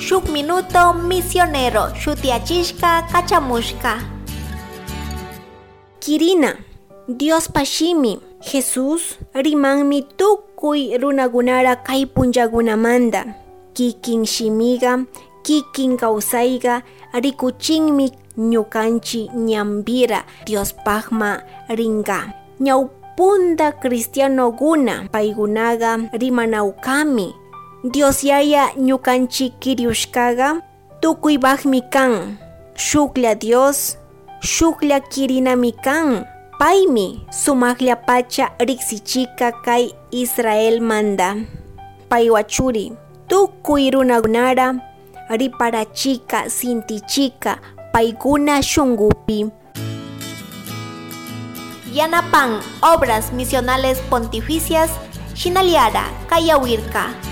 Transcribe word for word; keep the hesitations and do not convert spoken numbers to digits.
Shuk minuto misionero shutiyachishka kachamushka. Kirina. Diospa shimi. Jesús rimanmi tukuy runakunara kay punllakunamanta. Kikin shimiqa, kikin kawsayqa rikuchinmi ñukanchi ñanpira Diospaqma rinqa. Ñawpunta cristianokuna, paykunaqa rimanawkami. Dios Yaya ñukanchi kiriushkaqa tukuypaqmi kan. Shuklla Dios, shuklla kirinami kan. Paymi sumaqllapacha riksichika kay Israelmanta. Paywa churi, tukuy runakunara riparachika, sintichika paykuna shunkupi. Yanapan Obras Misionales Pontificias shinallara kayawirka.